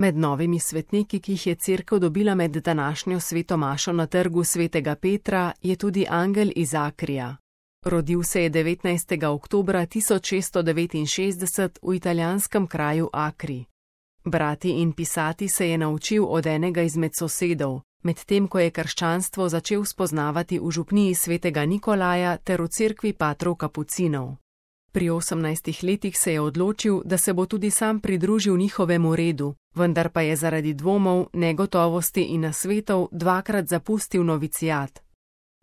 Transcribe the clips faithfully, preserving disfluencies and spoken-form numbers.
Med novimi svetniki, ki jih je cerkev dobila med današnjo sveto mašo na trgu svetega Petra, je tudi angel iz Akrija. Rodil se je devetnajstega oktobra tisoč šeststo devetinšestdeset v italijanskem kraju Akri. Brati in pisati se je naučil od enega izmed sosedov, medtem ko je krščanstvo začel spoznavati v župniji svetega Nikolaja ter v cerkvi patrov kapucinov. Pri osemnajstih letih se je odločil, da se bo tudi sam pridružil njihovemu redu, vendar pa je zaradi dvomov, negotovosti in nasvetov dvakrat zapustil novicijat.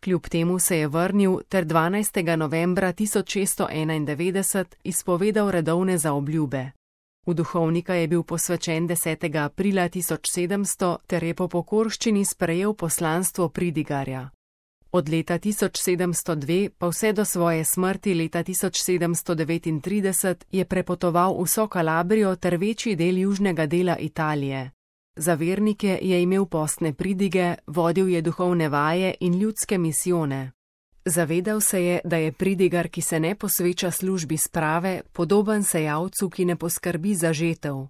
Kljub temu se je vrnil ter dvanajstega novembra tisoč šeststo enaindevetdeset izpovedal redovne zaobljube. V duhovnika je bil posvečen desetega aprila tisoč sedemsto ter je po pokorščini sprejel poslanstvo pridigarja. Od leta tisoč sedemsto dve pa vse do svoje smrti leta tisoč sedemsto devetintrideset je prepotoval vso Kalabrijo ter večji del južnega dela Italije. Za vernike je imel postne pridige, vodil je duhovne vaje in ljudske misijone. Zavedal se je, da je pridigar, ki se ne posveča službi sprave, podoben sejalcu, ki ne poskrbi za žetev.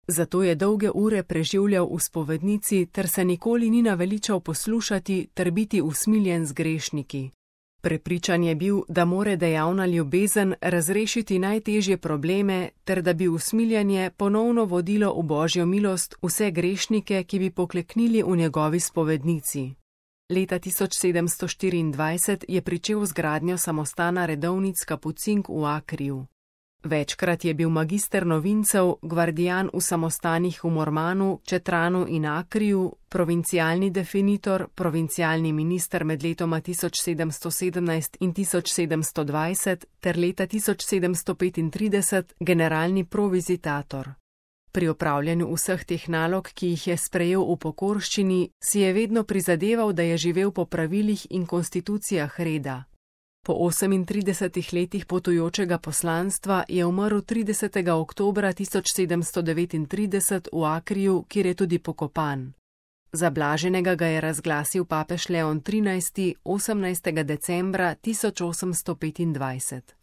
Zato je dolge ure preživljal v spovednici ter se nikoli ni naveličal poslušati ter biti usmiljen z grešniki. Prepričan je bil, da more dejavna ljubezen razrešiti najtežje probleme ter da bi usmiljanje ponovno vodilo v Božjo milost vse grešnike, ki bi pokleknili v njegovi spovednici. Leta tisoč sedemsto štiriindvajset je pričel z gradnjo samostana redovnic kapucink v Akriju. Večkrat je bil magister novincev, gvardijan v samostanih v Mormanu, Četranu in Akriju, provincialni definitor, provincialni minister med letoma tisoč sedemsto sedemnajst in tisoč sedemsto dvajset ter leta tisoč sedemsto petintrideset generalni provizitator. Pri opravljanju vseh teh nalog, ki jih je sprejel v pokorščini, si je vedno prizadeval, da je živel po pravilih in konstitucijah reda. Po osemintridesetih letih potujočega poslanstva je umrl tridesetega oktobra tisoč sedemsto devetintrideset v Akriju, kjer je tudi pokopan. Za blaženega ga je razglasil papež Leon trinajsti osemnajstega decembra tisoč osemsto petindvajset.